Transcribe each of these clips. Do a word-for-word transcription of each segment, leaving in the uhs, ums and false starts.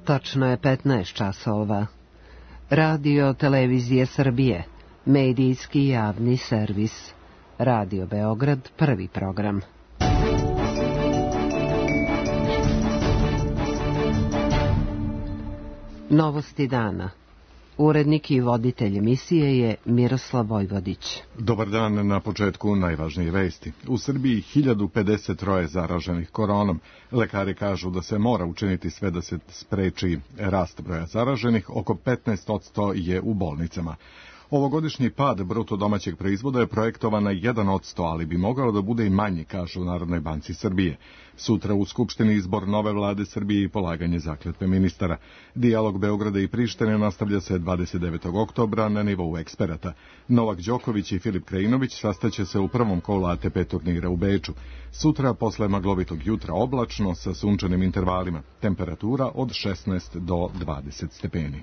Tačno je petnaest časova. Radio Televizije Srbije, medijski javni servis. Radio Beograd, prvi program. Novosti dana. Urednik i voditelj emisije je Miroslav Vojvodić. Dobar dan, na početku najvažnije vesti. U Srbiji hiljadu pedeset tri zaraženih koronom. Lekari kažu da se mora učiniti sve da se spreči rast broja zaraženih, oko petnaest posto je u bolnicama. Ovogodišnji pad bruto domaćeg proizvoda je projektovan na jedan posto, ali bi mogao da bude i manji, kažu u Narodnoj banci Srbije. Sutra u Skupštini izbor nove vlade Srbije i polaganje zakletve ministara. Dijalog Beograda i Prištine nastavlja se dvadeset devetog oktobra na nivou eksperata. Novak Đoković i Filip Krajinović sastaće se u prvom kolu A T P turnira u Beču. Sutra posle maglovitog jutra oblačno sa sunčanim intervalima. Temperatura od šesnaest do dvadeset stepeni.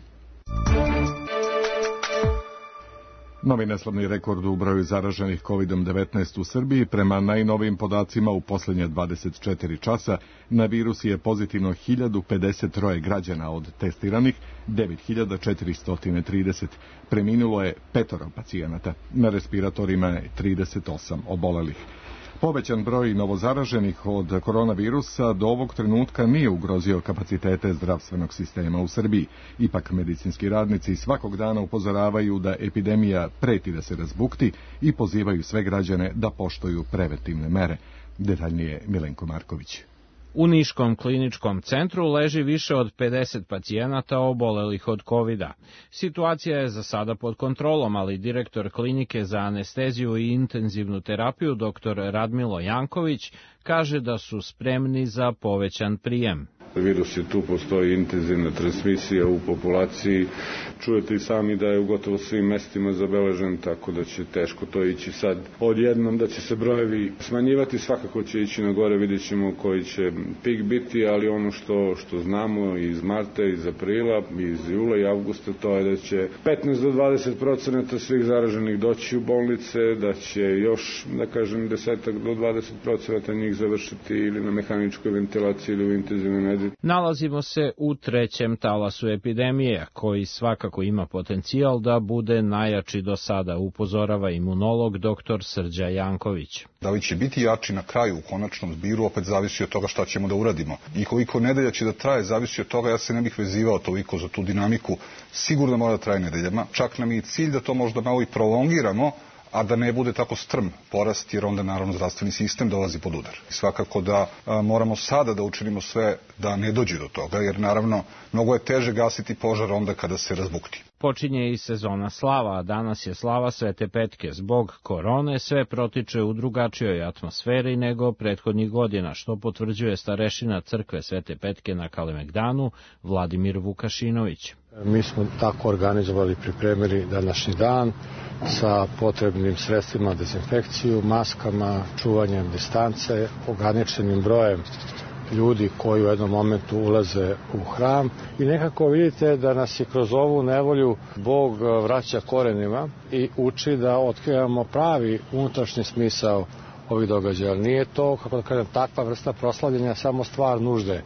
Novi neslavni rekord u broju zaraženih kovid devetnaest u Srbiji. Prema najnovijim podacima u posljednje dvadeset četiri časa na virus je pozitivno hiljadu pedeset tri građana, od testiranih devet hiljada četiristo trideset. Preminulo je petoro pacijenata. Na respiratorima je trideset osam obolelih. Povećan broj novozaraženih od koronavirusa do ovog trenutka nije ugrozio kapacitete zdravstvenog sistema u Srbiji. Ipak medicinski radnici svakog dana upozoravaju da epidemija preti da se razbukti i pozivaju sve građane da poštuju preventivne mere. Detaljnije Milenko Marković. U Niškom kliničkom centru leži više od pedeset pacijenata obolelih od kovida. Situacija je za sada pod kontrolom, ali direktor klinike za anesteziju i intenzivnu terapiju dr Radmilo Janković kaže da su spremni za povećan prijem. Virus je tu, postoji intenzivna transmisija u populaciji. Čujete i sami da je u gotovo svim mestima zabeležen, tako da će teško to ići sad odjednom, da će se brojevi smanjivati, svakako će ići na gore, vidjet ćemo koji će pik biti, ali ono što, što znamo iz marta, iz aprila, iz jula i avgusta, to je da će petnaest do dvadeset procenata svih zaraženih doći u bolnice, da će još, da kažem, deset do dvadeset procenata njih završiti ili na mehaničkoj ventilaciji ili u intenzivnoj medicini. Nalazimo se u trećem talasu epidemije, koji svakako ima potencijal da bude najjači do sada, upozorava imunolog dr Srđa Janković. Da li će biti jači na kraju u konačnom zbiru, opet zavisi od toga šta ćemo da uradimo. I koliko nedelja će da traje, zavisi od toga, ja se ne bih vezivao toliko za tu dinamiku, sigurno mora da traje nedeljama. Čak nam je cilj da to možda malo i prolongiramo, a da ne bude tako strm porast, jer onda naravno zdravstveni sistem dolazi pod udar. I svakako da a, moramo sada da učinimo sve da ne dođe do toga, jer naravno mnogo je teže gasiti požar onda kada se razbukti. Počinje i sezona slava, a danas je slava Svete Petke. Zbog korone sve protiče u drugačijoj atmosferi nego prethodnih godina, što potvrđuje starešina crkve Svete Petke na Kalemegdanu, Vladimir Vukašinović. Mi smo tako organizovali, pripremili današnji dan sa potrebnim sredstvima, dezinfekciju, maskama, čuvanjem distance, ograničenim brojem ljudi koji u jednom momentu ulaze u hram i nekako vidite da nas je kroz ovu nevolju Bog vraća korenima i uči da otkrivamo pravi unutrašnji smisao ovih događaja. Nije to, kako da kažem, takva vrsta proslavljenja samo stvar nužde,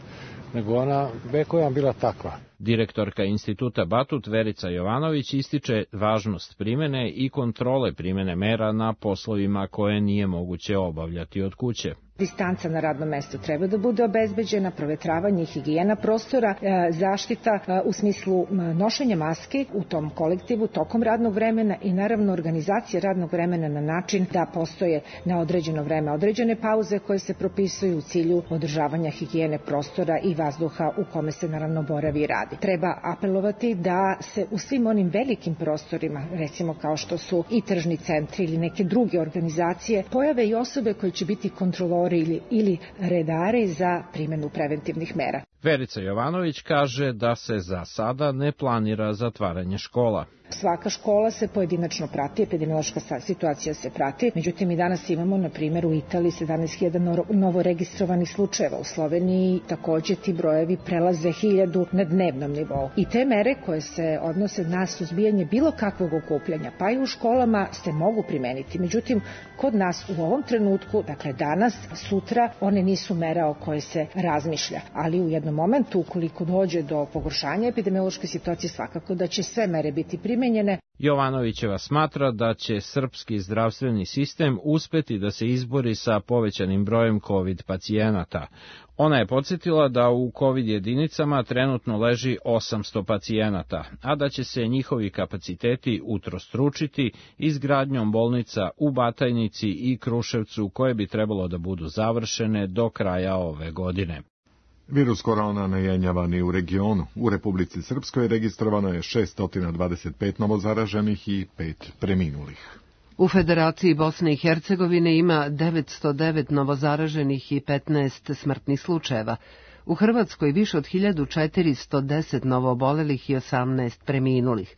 nego ona vekovima bila takva. Direktorka Instituta Batut Verica Jovanović ističe važnost primene i kontrole primene mera na poslovima koje nije moguće obavljati od kuće. Distanca na radnom mestu treba da bude obezbeđena, provetravanje, higijena prostora, zaštita u smislu nošenja maski u tom kolektivu tokom radnog vremena i naravno organizacija radnog vremena na način da postoje na određeno vreme određene pauze koje se propisuju u cilju održavanja higijene prostora i vazduha u kome se naravno boravi i radi. Treba apelovati da se u svim onim velikim prostorima, recimo kao što su i tržni centri ili neke druge organizacije, pojave i osobe koje će biti kontrolori Ili, ili redari za primjenu preventivnih mera. Verica Jovanović kaže da se za sada ne planira zatvaranje škola. Svaka škola se pojedinačno prati, epidemiološka situacija se prati, međutim i danas imamo, na primjer, u Italiji sedamnaest hiljada novo registrovanih slučajeva, u Sloveniji takođe ti brojevi prelaze hiljadu na dnevnom nivou. I te mere koje se odnose na suzbijanje bilo kakvog okupljanja, pa i u školama, se mogu primeniti. Međutim, kod nas u ovom trenutku, dakle danas, sutra, one nisu mere o koje se razmišlja, ali u jednom određenom momentu, ukoliko dođe do pogoršanja epidemiološke situacije, svakako da će sve mere biti primenjene. Jovanovićeva smatra da će srpski zdravstveni sistem uspeti da se izbori sa povećanim brojem COVID pacijenata. Ona je podsjetila da u COVID jedinicama trenutno leži osamsto pacijenata, a da će se njihovi kapaciteti utrostručiti izgradnjom bolnica u Batajnici i Kruševcu, koje bi trebalo da budu završene do kraja ove godine. Virus korona ne jenjava ni u regionu. U Republici Srpskoj registrovano je šessto dvadeset pet novozaraženih i pet preminulih. U Federaciji Bosne i Hercegovine ima devetsto devet novozaraženih i petnaest smrtnih slučajeva. U Hrvatskoj više od hiljadu četiristo deset novoobolelih i osamnaest preminulih.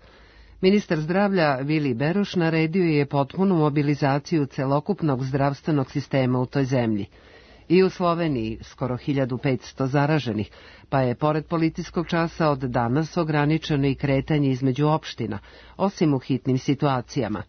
Ministar zdravlja Vili Beroš naredio je potpunu mobilizaciju celokupnog zdravstvenog sistema u toj zemlji. I u Sloveniji skoro hiljadu petsto zaraženih, pa je pored policijskog časa od danas ograničeno i kretanje između opština, osim u hitnim situacijama.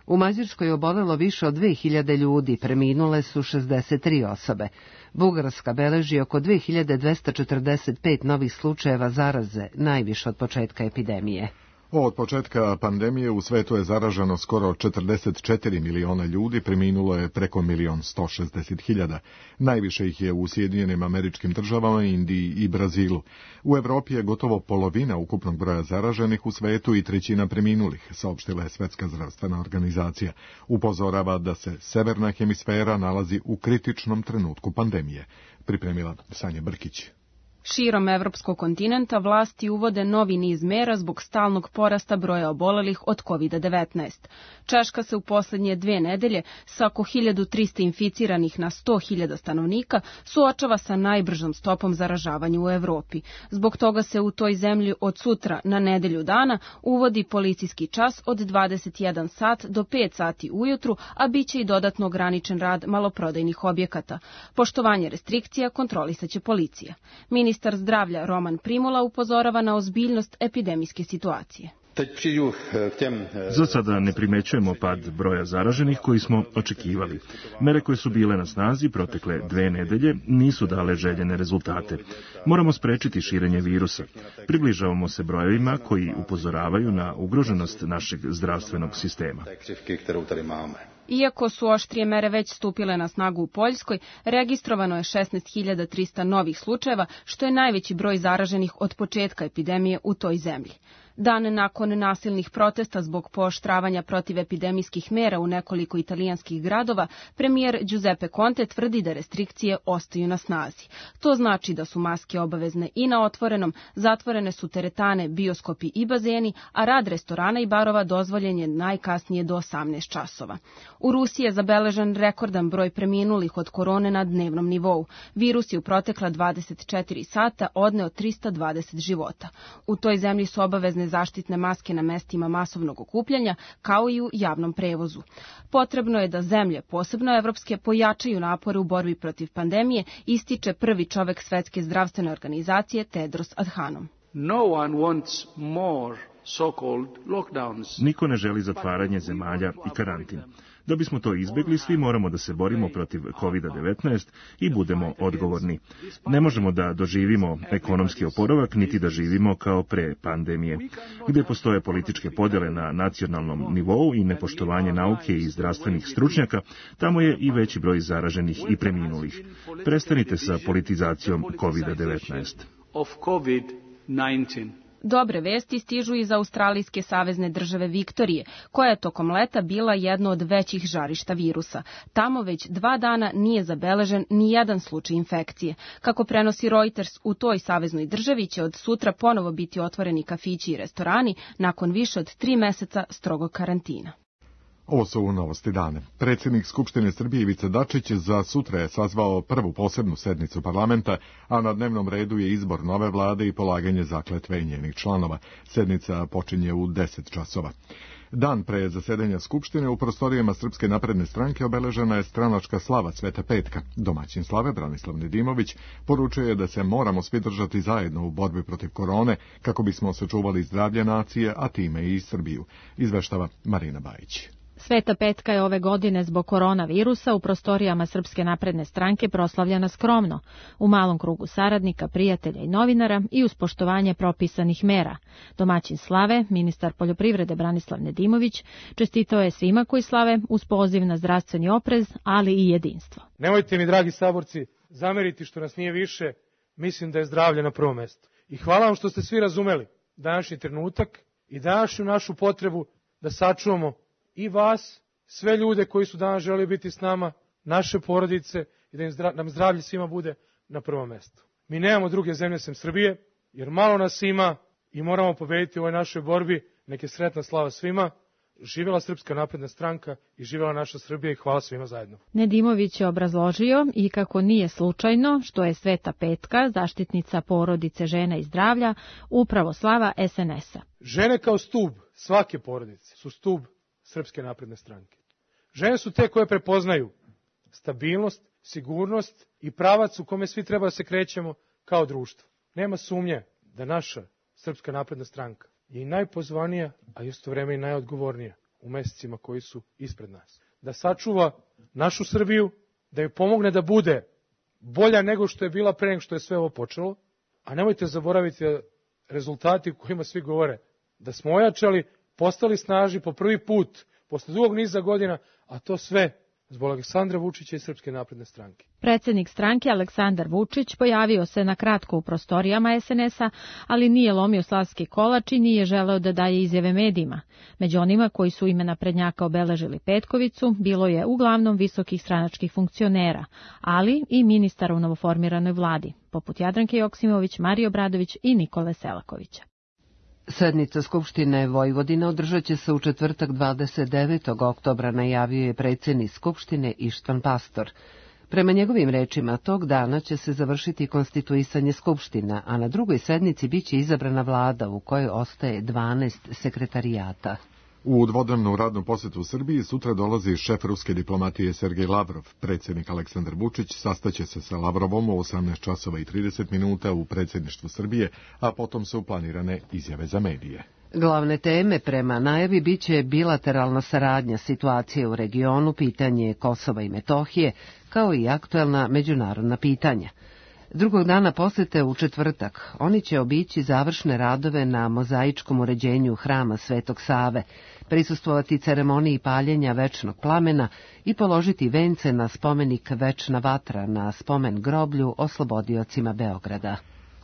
U Mađarskoj je obolelo više od dve hiljade ljudi, preminule su šezdeset tri osobe. Bugarska beleži oko dve hiljade dvesta četrdeset pet novih slučajeva zaraze, najviše od početka epidemije. Od početka pandemije u svetu je zaraženo skoro četrdeset četiri miliona ljudi, preminulo je preko milion sto šezdeset hiljada. Najviše ih je u Sjedinjenim Američkim Državama, Indiji i Brazilu. U Evropi je gotovo polovina ukupnog broja zaraženih u svetu i trećina preminulih, saopštila je Svetska zdravstvena organizacija. Upozorava da se severna hemisfera nalazi u kritičnom trenutku pandemije. Pripremila Sanja Brkić. Širom evropskog kontinenta vlasti uvode novi niz mera zbog stalnog porasta broja obolelih od kovid devetnaest. Češka se u poslednje dve nedelje sa oko hiljadu trista inficiranih na sto hiljada stanovnika suočava sa najbržom stopom zaražavanja u Evropi. Zbog toga se u toj zemlji od sutra na nedelju dana uvodi policijski čas od dvadeset jedan sat do pet sati ujutru, a biće i dodatno ograničen rad maloprodajnih objekata. Poštovanje restrikcija kontrolisaće policija. Ministar zdravlja Roman Primola upozorava na ozbiljnost epidemijske situacije. Za sada ne primećujemo pad broja zaraženih koji smo očekivali. Mere koje su bile na snazi protekle dve nedelje nisu dale željene rezultate. Moramo sprečiti širenje virusa. Približavamo se brojevima koji upozoravaju na ugroženost našeg zdravstvenog sistema. Iako su oštrije mere već stupile na snagu u Poljskoj, registrovano je šesnaest hiljada trista novih slučajeva, što je najveći broj zaraženih od početka epidemije u toj zemlji. Dan nakon nasilnih protesta zbog pooštravanja protivepidemijskih mera u nekoliko italijanskih gradova, premijer Giuseppe Conte tvrdi da restrikcije ostaju na snazi. To znači da su maske obavezne i na otvorenom, zatvorene su teretane, bioskopi i bazeni, a rad restorana i barova dozvoljen je najkasnije do osamnaest časova. U Rusiji je zabeležen rekordan broj preminulih od korone na dnevnom nivou. Virus je u protekla dvadeset četiri sata odneo trista dvadeset života. U toj zemlji su obavezne zaštitne maske na mestima masovnog okupljanja, kao i u javnom prevozu. Potrebno je da zemlje, posebno evropske, pojačaju napore u borbi protiv pandemije, ističe prvi čovek Svetske zdravstvene organizacije Tedros Adhanom. No one wants more so-called lockdowns. Niko ne želi zatvaranje zemalja i karantin. Da bismo to izbjegli, svi moramo da se borimo protiv kovid devetnaest i budemo odgovorni. Ne možemo da doživimo ekonomski oporavak, niti da živimo kao pre pandemije. Gde postoje političke podjele na nacionalnom nivou i nepoštovanje nauke i zdravstvenih stručnjaka, tamo je i veći broj zaraženih i preminulih. Prestanite sa politizacijom kovid devetnaest. Dobre vesti stižu iz Australijske savezne države Viktorije, koja je tokom leta bila jedno od većih žarišta virusa. Tamo već dva dana nije zabeležen ni jedan slučaj infekcije. Kako prenosi Reuters, u toj saveznoj državi će od sutra ponovo biti otvoreni kafići i restorani nakon više od tri meseca strogog karantina. Ovo su novosti dane. Predsjednik Skupštine Srbije Ivica Dačić za sutra je sazvao prvu posebnu sednicu parlamenta, a na dnevnom redu je izbor nove vlade i polaganje zakletve njenih članova. Sednica počinje u deset časova. Dan pre zasedanja Skupštine u prostorijama Srpske napredne stranke obeležena je stranačka slava Sveta Petka. Domaćin slave Branislav Nedimović poručuje da se moramo svi držati zajedno u borbi protiv korone kako bismo sačuvali zdravlje nacije, a time i Srbiju. Izveštava Marina Bajić. Sveta petka je ove godine zbog koronavirusa u prostorijama Srpske napredne stranke proslavljena skromno, u malom krugu saradnika, prijatelja i novinara i uz poštovanje propisanih mera. Domaćin slave, ministar poljoprivrede Branislav Nedimović, čestitao je svima koji slave uz poziv na zdravstveni oprez, ali i jedinstvo. Nemojte mi, dragi saborci, zameriti što nas nije više, mislim da je zdravlje na prvom mestu. I hvala vam što ste svi razumeli današnji trenutak i današnju našu potrebu da sačuvamo i vas, sve ljude koji su danas želeli biti s nama, naše porodice i da im zdra, nam zdravlje svima bude na prvom mestu. Mi nemamo druge zemlje sem Srbije, jer malo nas ima i moramo pobediti u ovoj našoj borbi. Neke sretna slava svima. Živjela Srpska napredna stranka i živjela naša Srbija i hvala svima zajedno. Nedimović je obrazložio i kako nije slučajno što je Sveta petka, zaštitnica porodice, žena i zdravlja, upravo slava es en es a. Žene kao stub svake porodice su stub Srpske napredne stranke. Žene su te koje prepoznaju stabilnost, sigurnost i pravac u kome svi treba da se krećemo kao društvo. Nema sumnje da naša Srpska napredna stranka je i najpozvanija, a isto vreme i najodgovornija u mesecima koji su ispred nas. Da sačuva našu Srbiju, da joj pomogne da bude bolja nego što je bila pre nego što je sve ovo počelo, a nemojte zaboraviti rezultati u kojima svi govore da smo ojačali, postali snažni po prvi put, posle dugog niza godina, a to sve zbog Aleksandra Vučića i Srpske napredne stranke. Predsednik stranke Aleksandar Vučić pojavio se na kratko u prostorijama es en es a, ali nije lomio slavski kolač i nije želeo da daje izjave medijima. Među onima koji su ime naprednjaka obeležili petkovicu bilo je uglavnom visokih stranačkih funkcionera, ali i ministara u novoformiranoj vladi, poput Jadranke Joksimović, Marije Obradović i Nikole Selakovića. Sednica Skupštine Vojvodine održat će se u četvrtak dvadeset devetog oktobra, najavio je predsjednik Skupštine Ištvan Pastor. Prema njegovim rečima, tog dana će se završiti konstituisanje Skupština, a na drugoj sednici biće izabrana vlada u kojoj ostaje dvanaest sekretarijata. U dvodnevnu radnu posjetu Srbiji sutra dolazi šef ruske diplomatije Sergej Lavrov. Predsjednik Aleksandar Vučić sastaće se sa Lavrovom u osamnaest časova i trideset minuta u predsjedništvu Srbije, a potom su planirane izjave za medije. Glavne teme prema najavi biće bilateralna saradnja, situacije u regionu, pitanje Kosova i Metohije, kao i aktuelna međunarodna pitanja. Drugog dana posete u četvrtak oni će obići završne radove na mozaičkom uređenju hrama Svetog Save, prisustvovati ceremoniji paljenja večnog plamena i položiti vence na spomenik Večna vatra na spomen groblju oslobodiocima Beograda.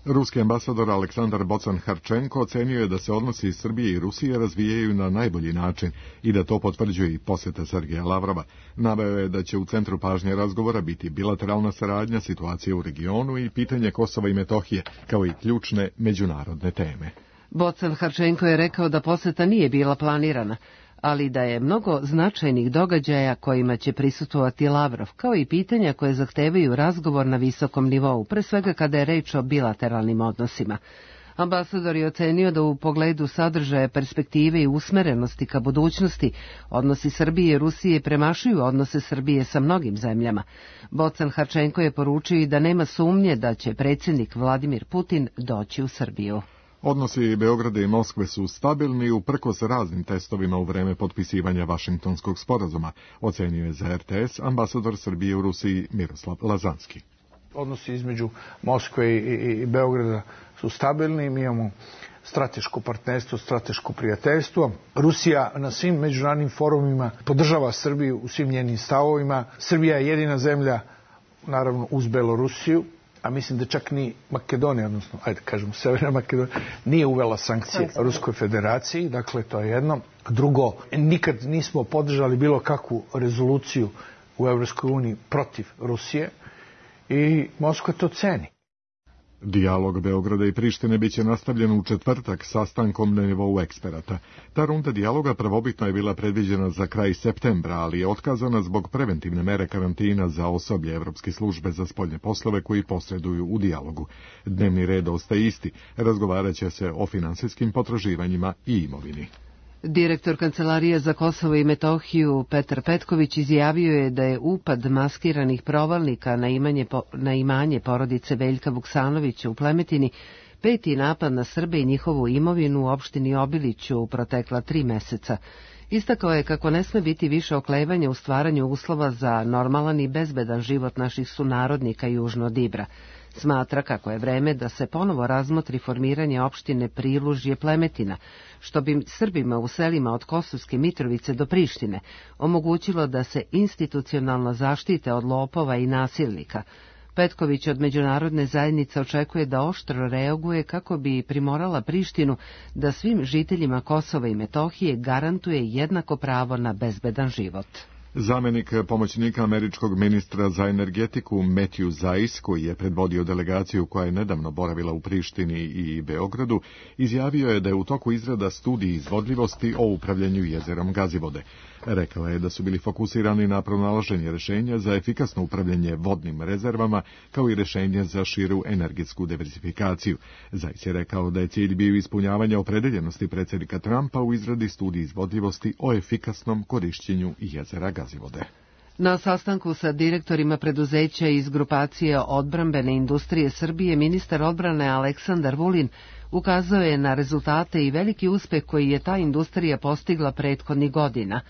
Ruski ambasador Aleksandar Bocan-Harčenko ocenio je da se odnosi Srbije i Rusije razvijaju na najbolji način i da to potvrđuje i posjeta Sergeja Lavrova. Naveo je da će u centru pažnje razgovora biti bilateralna saradnja, situacije u regionu i pitanje Kosova i Metohije, kao i ključne međunarodne teme. Bocan-Harčenko je rekao da posjeta nije bila planirana, ali da je mnogo značajnih događaja kojima će prisustvovati Lavrov, kao i pitanja koje zahtevaju razgovor na visokom nivou, pre svega kada je reč o bilateralnim odnosima. Ambasador je ocenio da u pogledu sadržaja, perspektive i usmerenosti ka budućnosti odnosi Srbije i Rusije premašuju odnose Srbije sa mnogim zemljama. Bocan-Harčenko je poručio i da nema sumnje da će predsjednik Vladimir Putin doći u Srbiju. Odnosi Beograda i Moskve su stabilni uprkos raznim testovima u vreme potpisivanja Vašingtonskog sporazuma, ocenio je za er te es ambasador Srbije u Rusiji Miroslav Lazanski. Odnosi između Moskve i, i, i Beograda su stabilni, mi imamo strateško partnerstvo, strateško prijateljstvo. Rusija na svim međunarodnim forumima podržava Srbiju u svim njenim stavovima. Srbija je jedina zemlja, naravno uz Belorusiju, a mislim da čak ni Makedonija, odnosno, ajde kažemo, Severna Makedonija, nije uvela sankcije Ruskoj federaciji, dakle, to je jedno. Drugo, nikad nismo podržali bilo kakvu rezoluciju u Evropskoj uniji protiv Rusije i Moskva to ceni. Dijalog Beograda i Prištine biće nastavljen u četvrtak sastankom na nivou eksperata. Ta runda dijaloga prvobitno je bila predviđena za kraj septembra, ali je otkazana zbog preventivne mere karantina za osoblje Evropske službe za spoljne poslove koji posreduju u dijalogu. Dnevni red ostaje isti, razgovarat će se o finansijskim potraživanjima i imovini. Direktor Kancelarije za Kosovo i Metohiju Petar Petković izjavio je da je upad maskiranih provalnika na, imanje, na imanje porodice Veljka Vuksanovića u Plemetini peti napad na Srbe i njihovu imovinu u opštini Obiliću u protekla tri meseca. Istakao je kako ne sme biti više oklevanja u stvaranju uslova za normalan i bezbedan život naših sunarodnika južno od Ibra. Smatra kako je vreme da se ponovo razmotri formiranje opštine Prilužje Plemetina, što bi Srbima u selima od Kosovske Mitrovice do Prištine omogućilo da se institucionalno zaštite od lopova i nasilnika. Petković od međunarodne zajednice očekuje da oštro reaguje kako bi primorala Prištinu da svim žiteljima Kosova i Metohije garantuje jednako pravo na bezbedan život. Zamenik pomoćnika američkog ministra za energetiku Matthew Zais, koji je predvodio delegaciju koja je nedavno boravila u Prištini i Beogradu, izjavio je da je u toku izrada studij izvodljivosti o upravljanju jezerom Gazivode. Rekao je da su bili fokusirani na pronalaženje rešenja za efikasno upravljanje vodnim rezervama, kao i rešenje za širu energetsku diversifikaciju. Zais je rekao da je cilj bio ispunjavanje opredeljenosti predsjednika Trumpa u izradi studij izvodljivosti o efikasnom korišćenju jezera Gazivode. Na sastanku sa direktorima preduzeća iz grupacije odbrambene industrije Srbije, ministar odbrane Aleksandar Vulin ukazao je na rezultate i veliki uspeh koji je ta industrija postigla prethodnih godina.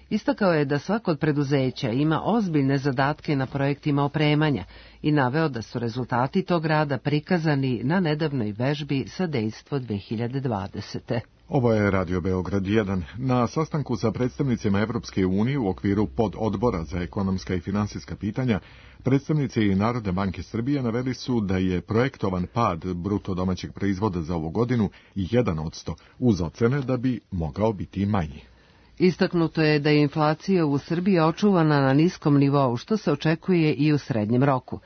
Istakao je da svako od preduzeća ima ozbiljne zadatke na projektima opremanja i naveo da su rezultati tog rada prikazani na nedavnoj vežbi sa Dejstvo dve hiljade dvadesete. Ovo je Radio Beograd jedan. Na sastanku sa predstavnicima Evropske unije u okviru pododbora za ekonomska i finansijska pitanja, predstavnici Narodne banke Srbije naveli su da je projektovan pad bruto domaćeg proizvoda za ovu godinu jedan odsto, uz ocene da bi mogao biti manji. Istaknuto je da je inflacija u Srbiji očuvana na niskom nivou, što se očekuje i u srednjem roku.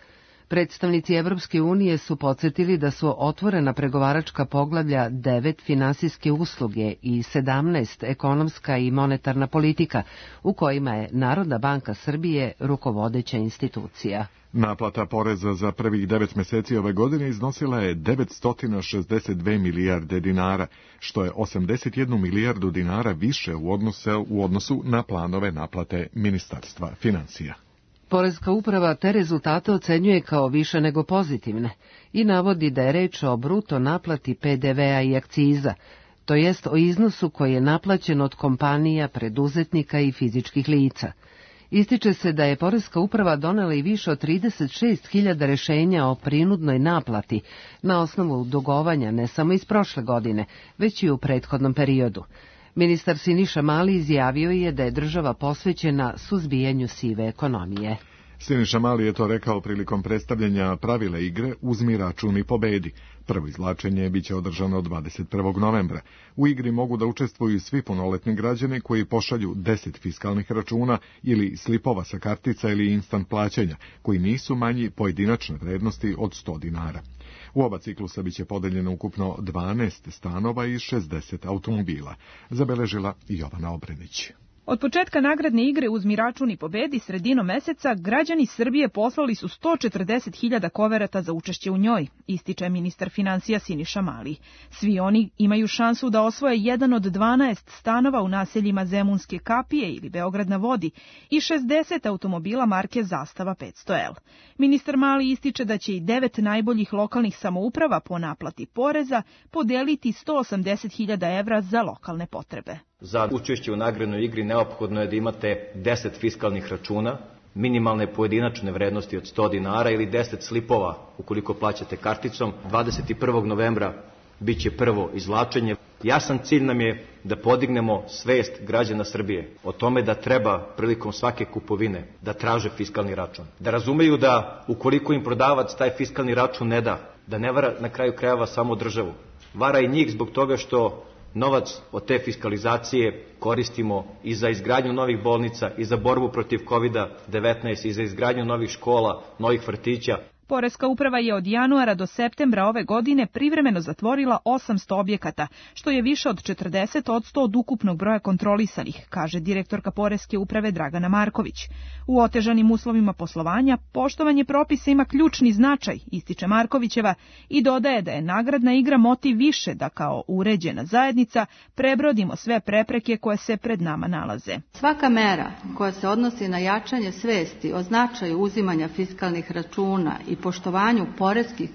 Predstavnici Evropske unije su podsjetili da su otvorena pregovaračka poglavlja devet finansijske usluge i sedamnaest ekonomska i monetarna politika, u kojima je Narodna banka Srbije rukovodeća institucija. Naplata poreza za prvih devet meseci ove godine iznosila je devetsto šezdeset dve milijarde dinara, što je osamdeset jednu milijardu dinara više u odnosu, u odnosu na planove naplate Ministarstva finansija. Poreska uprava te rezultate ocenjuje kao više nego pozitivne i navodi da je reč o bruto naplati pe de vea i akciza, to jest o iznosu koji je naplaćen od kompanija, preduzetnika i fizičkih lica. Ističe se da je Poreska uprava donela i više od trideset šest hiljada rešenja o prinudnoj naplati na osnovu dugovanja ne samo iz prošle godine, već i u prethodnom periodu. Ministar Siniša Mali izjavio je da je država posvećena suzbijanju sive ekonomije. Siniša Mali je to rekao prilikom predstavljanja pravila igre Uzmi račun i pobedi. Prvo izvlačenje biće održano dvadeset prvog novembra. U igri mogu da učestvuju svi punoletni građani koji pošalju deset fiskalnih računa ili slipova sa kartica ili instant plaćanja, koji nisu manji pojedinačne vrednosti od sto dinara. U oba ciklusa biće podeljeno ukupno dvanaest stanova i šezdeset automobila, zabeležila Jovana Obrenić. Od početka nagradne igre Uzmi račun i pobedi sredinom meseca građani Srbije poslali su sto četrdeset hiljada koverata za učešće u njoj, ističe ministar finansija Siniša Mali. Svi oni imaju šansu da osvoje jedan od dvanaest stanova u naseljima Zemunske kapije ili Beograd na vodi i šezdeset automobila marke Zastava petsto el. Ministar Mali ističe da će i devet najboljih lokalnih samouprava po naplati poreza podeliti sto osamdeset hiljada evra za lokalne potrebe. Za učešće u nagradnoj igri neophodno je da imate deset fiskalnih računa, minimalne pojedinačne vrednosti od sto dinara ili deset slipova ukoliko plaćate karticom. dvadeset prvog novembra biće prvo izvlačenje. Jasan cilj nam je da podignemo svest građana Srbije o tome da treba prilikom svake kupovine da traže fiskalni račun. Da razumeju da ukoliko im prodavac taj fiskalni račun ne da, da ne vara na kraju krajeva samo državu. Vara i njih zbog toga što novac od te fiskalizacije koristimo i za izgradnju novih bolnica, i za borbu protiv kovid devetnaest, i za izgradnju novih škola, novih vrtića. Poreska uprava je od januara do septembra ove godine privremeno zatvorila osamsto objekata, što je više od četrdeset odsto od ukupnog broja kontrolisanih, kaže direktorka Poreske uprave Dragana Marković. U otežanim uslovima poslovanja poštovanje propisa ima ključni značaj, ističe Markovićeva, i dodaje da je nagradna igra motiv više da kao uređena zajednica prebrodimo sve prepreke koje se pred nama nalaze. Svaka mera koja se odnosi na jačanje svesti o značaju uzimanja fiskalnih računa i poštovanju poreskih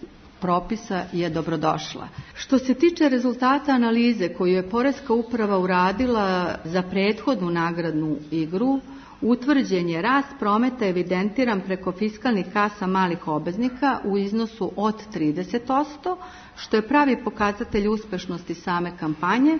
propisa je dobrodošla. Što se tiče rezultata analize koju je Poreska uprava uradila za prethodnu nagradnu igru, utvrđen je rast prometa evidentiran preko fiskalnih kasa malih obveznika u iznosu od trideset posto, što je pravi pokazatelj uspešnosti same kampanje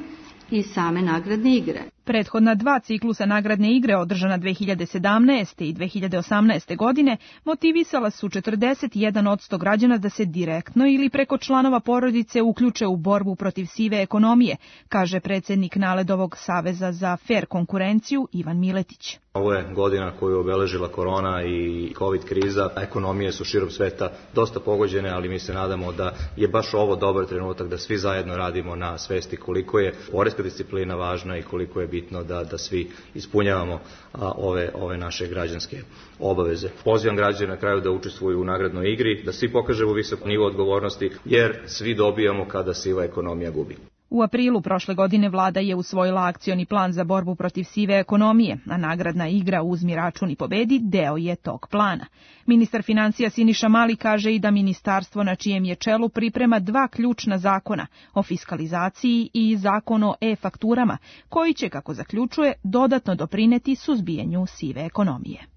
i same nagradne igre. Prethodna dva ciklusa nagradne igre održana dve hiljade sedamnaeste i dve hiljade osamnaeste godine motivisala su četrdeset jedan posto građana da se direktno ili preko članova porodice uključe u borbu protiv sive ekonomije, kaže predsednik Naledovog saveza za fer konkurenciju Ivan Miletić. Ovo je godina koju je obeležila korona i covid kriza. Ekonomije su širom sveta dosta pogođene, ali mi se nadamo da je baš ovo dobar trenutak da svi zajedno radimo na svesti koliko je poreska disciplina važna i koliko je bitno da, da svi ispunjavamo a, ove, ove naše građanske obaveze. Pozivam građane na kraju da učestvuju u nagradnoj igri, da svi pokažemo visok nivo odgovornosti, jer svi dobijamo kada siva ekonomija gubi. U aprilu prošle godine vlada je usvojila akcioni plan za borbu protiv sive ekonomije, a nagradna igra Uzmi račun i pobedi deo je tog plana. Ministar financija Siniša Mali kaže i da ministarstvo na čijem je čelu priprema dva ključna zakona o fiskalizaciji i zakon o e-fakturama, koji će, kako zaključuje, dodatno doprineti suzbijanju sive ekonomije.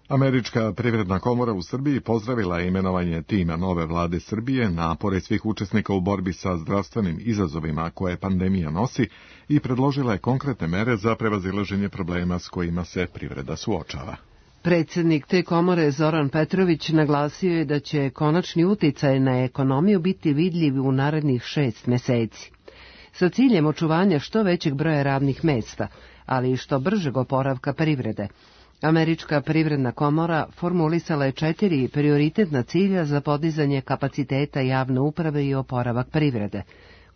Američka privredna komora u Srbiji pozdravila je imenovanje tima nove vlade Srbije, napore svih učesnika u borbi sa zdravstvenim izazovima koje pandemija nosi i predložila je konkretne mere za prevazilaženje problema s kojima se privreda suočava. Predsednik te komore Zoran Petrović naglasio je da će konačni uticaj na ekonomiju biti vidljiv u narednih šest meseci. Sa ciljem očuvanja što većeg broja radnih mesta, ali i što bržeg oporavka privrede, Američka privredna komora formulisala je četiri prioritetna cilja za podizanje kapaciteta javne uprave i oporavak privrede.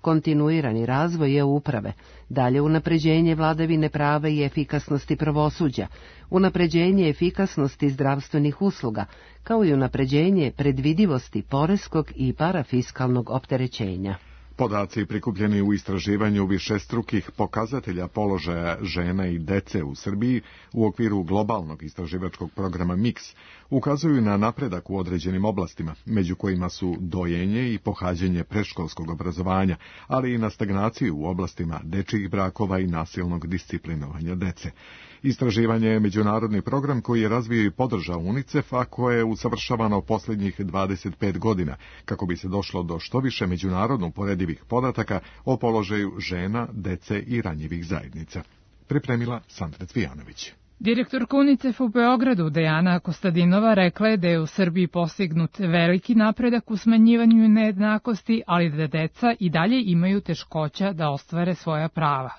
Kontinuirani razvoj je uprave, dalje unapređenje vladavine prava i efikasnosti pravosuđa, unapređenje efikasnosti zdravstvenih usluga, kao i unapređenje predvidivosti poreskog i parafiskalnog opterećenja. Podaci prikupljeni u istraživanju višestrukih pokazatelja položaja žena i dece u Srbiji u okviru globalnog istraživačkog programa miks ukazuju na napredak u određenim oblastima, među kojima su dojenje i pohađanje predškolskog obrazovanja, ali i na stagnaciju u oblastima dečjih brakova i nasilnog disciplinovanja dece. Istraživanje je međunarodni program koji je razvio i podržao UNICEF, a koje je usavršavano posljednjih dvadeset pet godina, kako bi se došlo do što više međunarodno uporedivih podataka o položaju žena, dece i ranjivih zajednica. Pripremila Sandra Cvijanović. Direktorka UNICEF u Beogradu Dejana Kostadinova rekla je da je u Srbiji postignut veliki napredak u smanjivanju nejednakosti, ali da deca i dalje imaju teškoća da ostvare svoja prava.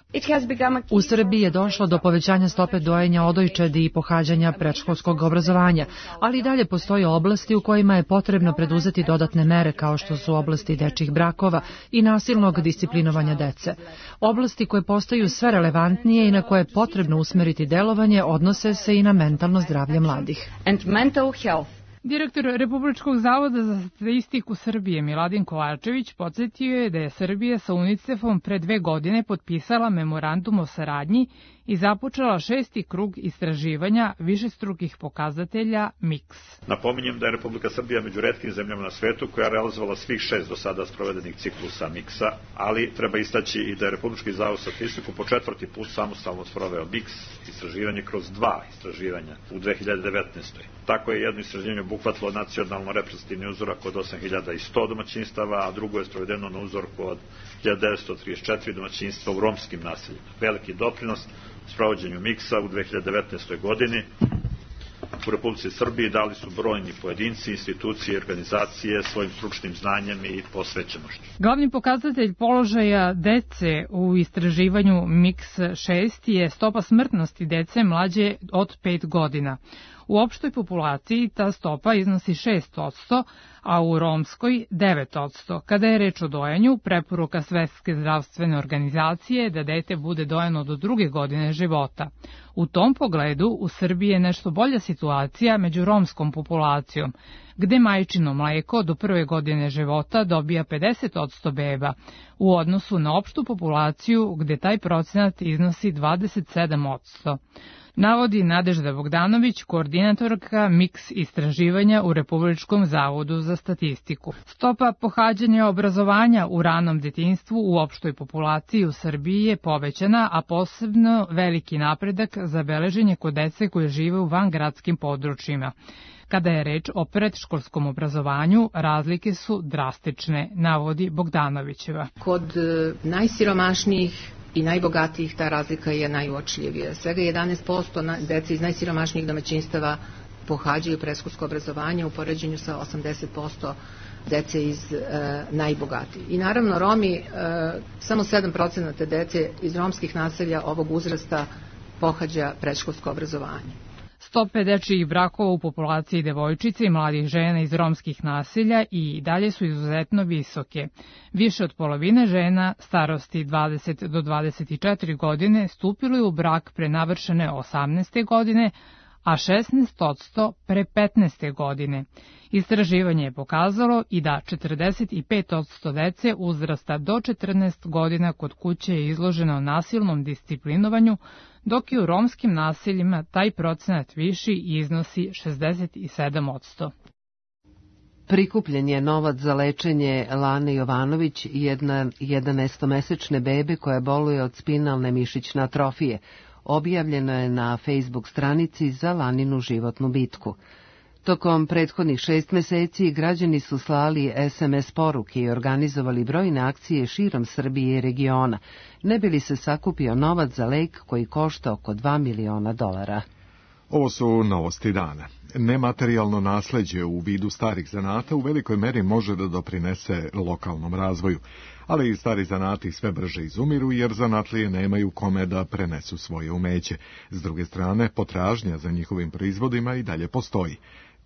U Srbiji je došlo do povećanja stope dojenja odojčadi i pohađanja predškolskog obrazovanja, ali i dalje postoje oblasti u kojima je potrebno preduzeti dodatne mere kao što su oblasti dečjih brakova i nasilnog disciplinovanja dece. Oblasti koje postaju sve relevantnije i na koje je potrebno usmeriti delovanje odnose se i na mentalno zdravlje mladih. Direktor Republičkog zavoda za statistiku Srbije Miladin Kovačević podsjetio je da je Srbija sa UNICEF-om pre dve godine potpisala memorandum o saradnji i započela šesti krug istraživanja višestrukih pokazatelja miks. Napominjem da je Republika Srbija među retkim zemljama na svetu koja je realizovala svih šest do sada sprovedenih ciklusa miksa, ali treba istaći i da je Republički zavod za statistiku po četvrti put samostalno sproveo miks istraživanje kroz dva istraživanja u dve hiljade devetnaestoj. Tako je jedno istraživanje obuhvatilo nacionalno reprezentativni uzorak od osam hiljada sto domaćinstava, a drugo je sprovedeno na uzorku od hiljadu devetsto trideset četiri domaćinstva u romskim naseljima. Veliki doprinos u sprovođenju miksa u dve hiljade devetnaestoj godini u Republici Srbiji dali su brojni pojedinci, institucije i organizacije svojim stručnim znanjem i posvećenošću. Glavni pokazatelj položaja dece u istraživanju miks šest je stopa smrtnosti dece mlađe od pet godina. U opštoj populaciji ta stopa iznosi šest posto, a u romskoj devet posto. Kada je reč o dojenju, preporuka Svetske zdravstvene organizacije je da dete bude dojeno do druge godine života. U tom pogledu u Srbiji je nešto bolja situacija među romskom populacijom, gde majčino mleko do prve godine života dobija pedeset posto beba, u odnosu na opštu populaciju gde taj procenat iznosi dvadeset sedam posto. Navodi Nadežda Bogdanović, koordinatorka Miks istraživanja u Republičkom zavodu za statistiku. Stopa pohađanja obrazovanja u ranom detinjstvu u opštoj populaciji u Srbiji je povećana, a posebno veliki napredak zabeležen je kod dece koje žive u vangradskim područjima. Kada je reč o predškolskom obrazovanju, razlike su drastične, navodi Bogdanovićeva. Kod najsiromašnijih i najbogatijih ta razlika je najuočljivija. Svega jedanaest posto dece iz najsiromašnijih domaćinstava pohađaju predškolsko obrazovanje u poređenju sa osamdeset posto dece iz e, najbogatijih. I naravno Romi, e, samo sedam procenata dece iz romskih naselja ovog uzrasta pohađa predškolsko obrazovanje. Stope dečijih brakova u populaciji devojčica i mladih žena iz romskih naselja i dalje su izuzetno visoke. Više od polovine žena starosti dvadeset do dvadeset četiri godine stupilo je u brak pre navršene osamnaeste godine, a šesnaest posto pre petnaeste godine. Istraživanje je pokazalo i da četrdeset pet posto dece uzrasta do četrnaest godina kod kuće je izloženo nasilnom disciplinovanju, dok je u romskim naseljima taj procenat viši i iznosi šezdeset sedam posto. Prikupljen je novac za lečenje Lane Jovanović, jedna jedanaestomesečne bebe koja boluje od spinalne mišićne atrofije. Objavljeno je na Facebook stranici za Laninu životnu bitku. Tokom prethodnih šest meseci građani su slali es em es poruke i organizovali brojne akcije širom Srbije i regiona, ne bi li se sakupio novac za lek koji košta oko dva miliona dolara. Ovo su novosti dana. Nematerijalno nasleđe u vidu starih zanata u velikoj meri može da doprinese lokalnom razvoju, ali i stari zanati sve brže izumiru jer zanatlije nemaju kome da prenesu svoje umeće. S druge strane, potražnja za njihovim proizvodima i dalje postoji.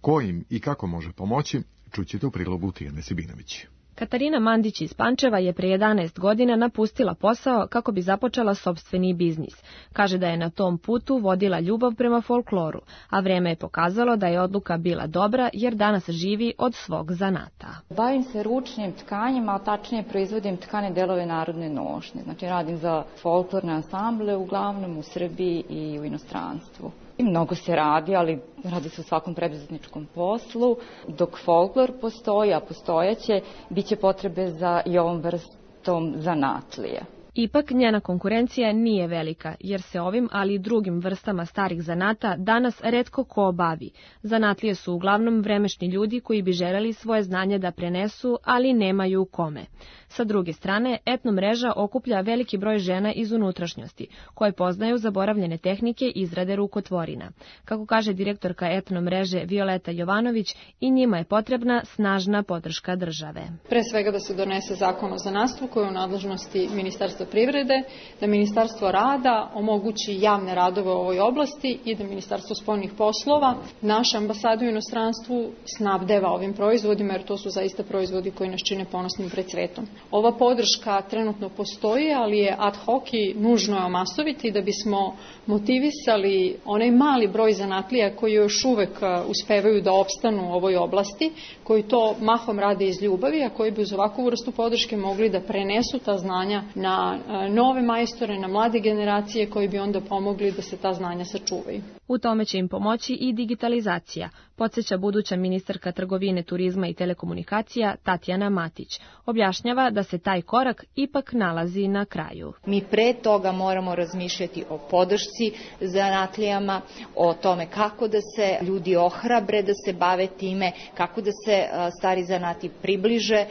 Ko im i kako može pomoći, čućete u prilogu Tijane Sibinović. Katarina Mandić iz Pančeva je pre jedanaest godina napustila posao kako bi započela sopstveni biznis. Kaže da je na tom putu vodila ljubav prema folkloru, a vreme je pokazalo da je odluka bila dobra jer danas živi od svog zanata. Bavim se ručnim tkanjima, a tačnije proizvodim tkane delove narodne nošnje. Znači radim za folklorne ansamble uglavnom u Srbiji i u inostranstvu. Mnogo se radi, ali radi se u svakom preduzetničkom poslu. Dok folklor postoji, a postojaće, bit će potrebe za i ovom vrstom zanatlije. Ipak njena konkurencija nije velika, jer se ovim, ali i drugim vrstama starih zanata danas retko ko bavi. Zanatlije su uglavnom vremešni ljudi koji bi želeli svoje znanje da prenesu, ali nemaju kome. Sa druge strane, etno mreža okuplja veliki broj žena iz unutrašnjosti, koje poznaju zaboravljene tehnike izrade rukotvorina. Kako kaže direktorka etno mreže Violeta Jovanović, i njima je potrebna snažna podrška države. Pre svega da se donese zakon o zanatstvu koji je u nadležnosti Ministarstva privrede, da Ministarstvo rada omogući javne radove u ovoj oblasti i da Ministarstvo spoljnih poslova naše ambasade u inostranstvu snabdeva ovim proizvodima, jer to su zaista proizvodi koji nas čine ponosnim pred svetom. Ova podrška trenutno postoji, ali je ad hoc i nužno je omasoviti da bismo motivisali onaj mali broj zanatlija koji još uvek uspevaju da opstanu u ovoj oblasti, koji to mahom rade iz ljubavi, a koji bi uz ovakvu vrstu podrške mogli da prenesu ta znanja na nove majstore, na mlade generacije koji bi onda pomogli da se ta znanja sačuvaju. U tome će im pomoći i digitalizacija, podsjeća buduća ministarka trgovine, turizma i telekomunikacija Tatjana Matić. Objašnjava da se taj korak ipak nalazi na kraju. Mi pre toga moramo razmišljati o podršci zanatlijama, o tome kako da se ljudi ohrabre da se bave time, kako da se stari zanati približe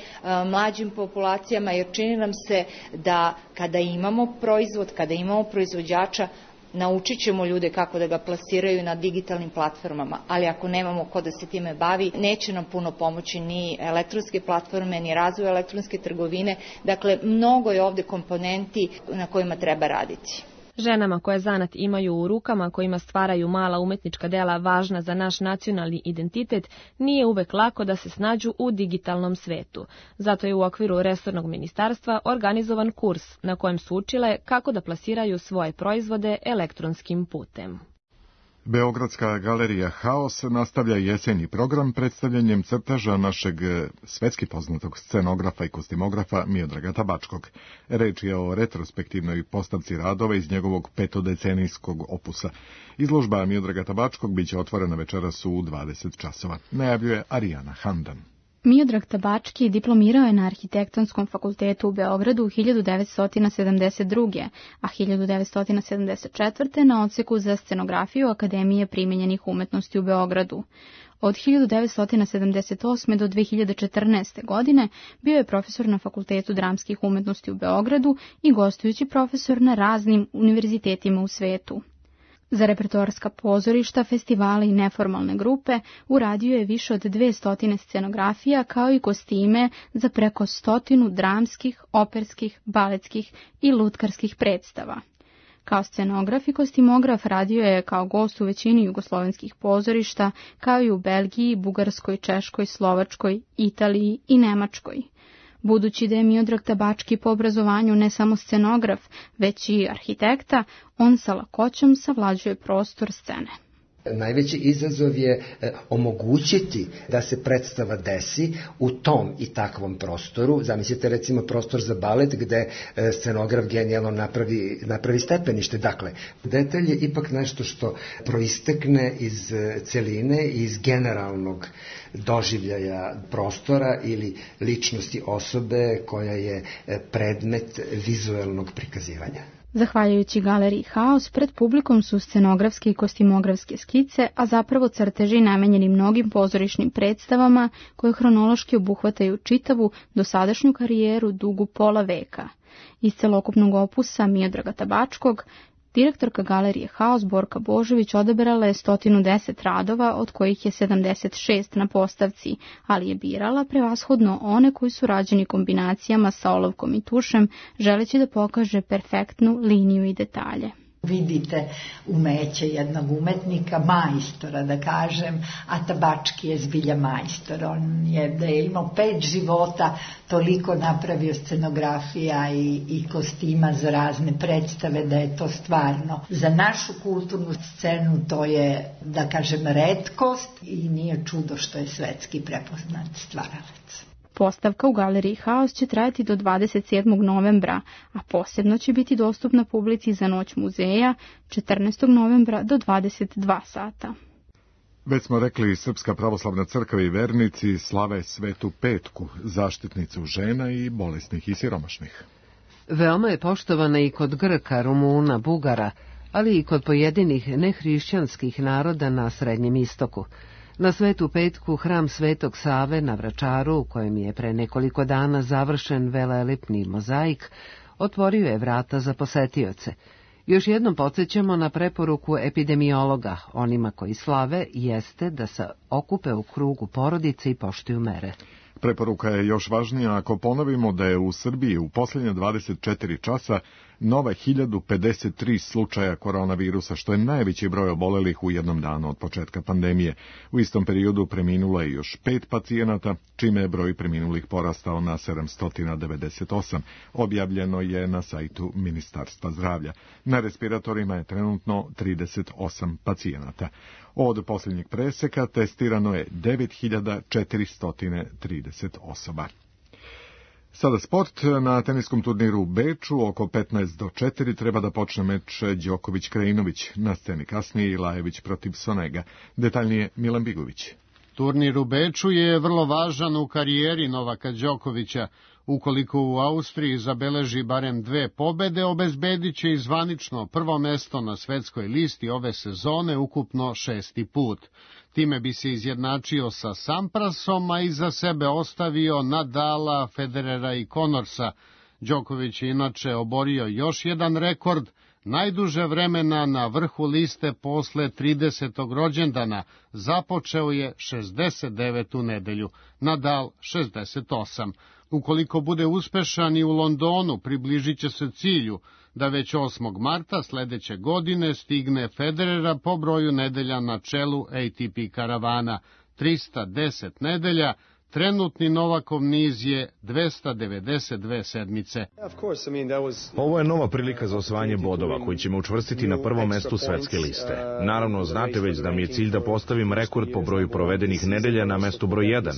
mlađim populacijama, jer čini nam se da kada imamo proizvod, kada imamo proizvođača, naučit ćemo ljude kako da ga plasiraju na digitalnim platformama, ali ako nemamo ko da se time bavi, neće nam puno pomoći ni elektronske platforme, ni razvoj elektronske trgovine. Dakle, mnogo je ovde komponenti na kojima treba raditi. Ženama koje zanat imaju u rukama, kojima stvaraju mala umetnička dela važna za naš nacionalni identitet, nije uvek lako da se snađu u digitalnom svetu. Zato je u okviru resornog ministarstva organizovan kurs na kojem su učile kako da plasiraju svoje proizvode elektronskim putem. Beogradska galerija Haos nastavlja jesenji program predstavljanjem crteža našeg svetski poznatog scenografa i kostimografa Miodraga Tabačkog. Reč je o retrospektivnoj postavci radova iz njegovog petodecenijskog opusa. Izložba Miodraga Tabačkog biće otvorena večeras u dvadeset časova. Najavljuje Arijana Handan. Miodrag Tabački diplomirao je na Arhitektonskom fakultetu u Beogradu hiljadu devetsto sedamdeset druge. a hiljadu devetsto sedamdeset četvrte. na odseku za scenografiju Akademije primenjenih umetnosti u Beogradu. Od hiljadu devetsto sedamdeset osme. do dve hiljade četrnaeste. godine bio je profesor na Fakultetu dramskih umetnosti u Beogradu i gostujući profesor na raznim univerzitetima u svetu. Za repertoarska pozorišta, festivale i neformalne grupe uradio je više od dvesta scenografija kao i kostime za preko stotinu dramskih, operskih, baletskih i lutkarskih predstava. Kao scenograf i kostimograf radio je kao gost u većini jugoslovenskih pozorišta, kao i u Belgiji, Bugarskoj, Češkoj, Slovačkoj, Italiji i Nemačkoj. Budući da je Miodrag Tabački po obrazovanju ne samo scenograf, već i arhitekta, on sa lakoćom savlađuje prostor scene. Najveći izazov je omogućiti da se predstava desi u tom i takvom prostoru. Zamislite recimo prostor za balet gde scenograf genijalno napravi, napravi stepenište. Dakle, detalj je ipak nešto što proistekne iz celine, iz generalnog doživljaja prostora ili ličnosti osobe koja je predmet vizuelnog prikazivanja. Zahvaljujući galeriji Haos, pred publikom su scenografske i kostimografske skice, a zapravo crteži namenjeni mnogim pozorišnim predstavama koje hronološki obuhvataju čitavu dosadašnju karijeru dugu pola veka. Iz celokupnog opusa Miodraga Tabačkog, direktorka galerije Haos Borka Božović odaberala je sto deset radova, od kojih je sedamdeset šest na postavci, ali je birala prevashodno one koji su rađeni kombinacijama sa olovkom i tušem, želeći da pokaže perfektnu liniju i detalje. Vidite umeće jednog umetnika, majstora da kažem, a Tabački je zbilja majstor. On je da je imao pet života, toliko napravio scenografija i, i kostima za razne predstave, da je to stvarno za našu kulturnu scenu to je, da kažem, retkost i nije čudo što je svetski prepoznat stvaralac. Postavka u galeriji Haos će trajati do dvadeset sedmog novembra, a posebno će biti dostupna publici za noć muzeja četrnaestog novembra do dvadeset dva sata. Već smo rekli, Srpska pravoslavna crkva i vernici slave Svetu Petku, zaštitnicu žena i bolesnih i siromašnih. Veoma je poštovana i kod Grka, Rumuna, Bugara, ali i kod pojedinih nehrišćanskih naroda na Srednjem istoku. Na Svetu Petku hram Svetog Save na Vračaru, u kojem je pre nekoliko dana završen velelepni mozaik, otvorio je vrata za posetioce. Još jednom podsjećamo na preporuku epidemiologa, onima koji slave, jeste da se okupe u krugu porodice i poštuju mere. Preporuka je još važnija ako ponovimo da je u Srbiji u posljednje dvadeset četiri časa nova hiljadu pedeset tri slučaja koronavirusa, što je najveći broj obolelih u jednom danu od početka pandemije. U istom periodu preminulo je još pet pacijenata, čime je broj preminulih porastao na sedamsto devedeset osam. Objavljeno je na sajtu Ministarstva zdravlja. Na respiratorima je trenutno trideset osam pacijenata. Od posljednjeg preseka testirano je devet hiljada četiristo trideset osoba. Sada sport. Na teniskom turniru u Beču oko petnaest do četiri treba da počne meč Đoković-Krajinović. Na sceni kasnije i Lajević protiv Sonega. Detaljnije Milan Bigović. Turnir u Beču je vrlo važan u karijeri Novaka Đokovića. Ukoliko u Austriji zabeleži barem dve pobede, obezbedit će i zvanično prvo mesto na svetskoj listi ove sezone, ukupno šesti put. Time bi se izjednačio sa Samprasom, a iza sebe ostavio Nadala, Federera i Connorsa. Đoković je inače oborio još jedan rekord, najduže vremena na vrhu liste posle tridesetog rođendana, započeo je šezdeset devetu nedelju, Nadal šezdeset osam. Ukoliko bude uspešan i u Londonu, približit će se cilju da već osmog marta sledeće godine stigne Federera po broju nedelja na čelu A T P karavana, trista deset nedelja, Trenutni Novakov niz je dvesta devedeset dve sedmice. Ovo je nova prilika za osvajanje bodova koji će me učvrstiti na prvom mestu svetske liste. Naravno, znate već da mi je cilj da postavim rekord po broju provedenih nedelja na mestu broj jedan.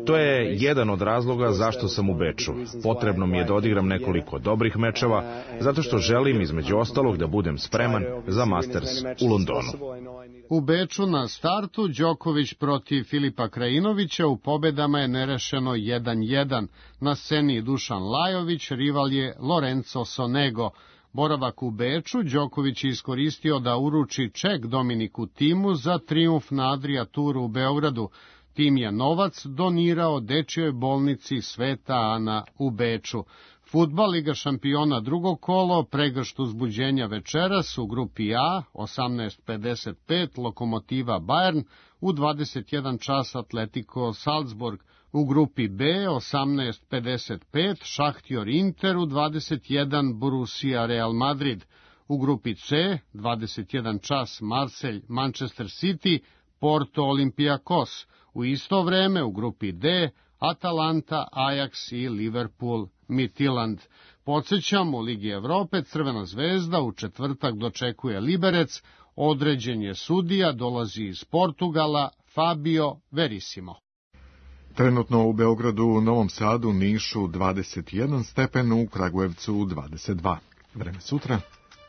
To je jedan od razloga zašto sam u Beču. Potrebno mi je da odigram nekoliko dobrih mečeva, zato što želim između ostalog da budem spreman za Masters u Londonu. U Beču na startu Đoković protiv Filipa Krajinovića, u pobedama je nerešeno jedan jedan. Na sceni Dušan Lajović, rival je Lorenzo Sonego. Boravak u Beču Đoković je iskoristio da uruči ček Dominiku Timu za trijumf na Adria Touru u Beogradu. Tim je novac donirao dečijoj bolnici Sveta Ana u Beču. Fudbal, Liga šampiona drugo kolo, pregršt uzbuđenja večeras u grupi A, osamnaest pedeset pet, Lokomotiva Bayern, u dvadeset jedan čas Atletico Salzburg. U grupi B, osamnaest pedeset pet, Šahtjor Inter, u dvadeset jedan Borussia Real Madrid. U grupi C, dvadeset jedan čas Marselj Manchester City, Porto Olympiakos. U isto vreme u grupi D, Atalanta, Ajax i Liverpool Midtjylland. Podsjećam, u Ligi Evrope Crvena zvezda u četvrtak dočekuje Liberec, određen je sudija, dolazi iz Portugala, Fabio Verissimo. Trenutno u Beogradu, u Novom Sadu, Nišu dvadeset jedan stepen, u Kragujevcu dvadeset dva. Vreme sutra.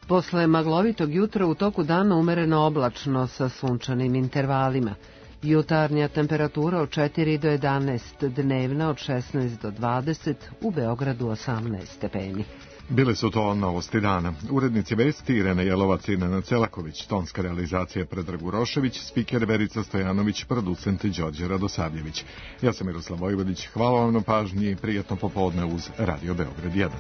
Posle maglovitog jutra u toku dana umereno oblačno sa sunčanim intervalima. Jutarnja temperatura od četiri do jedanaest, dnevna od šesnaest do dvadeset, u Beogradu osamnaest stepeni. Bile su to novosti dana. Urednici vesti Irena Jelovac i Nenad Celaković, tonska realizacija Predrag Urošević, spiker Verica Stojanović, producent Đorđe Radosavljević. Ja sam Miroslav Vojvodić, hvala vam na pažnji i prijatno popodne uz Radio Beograd jedan.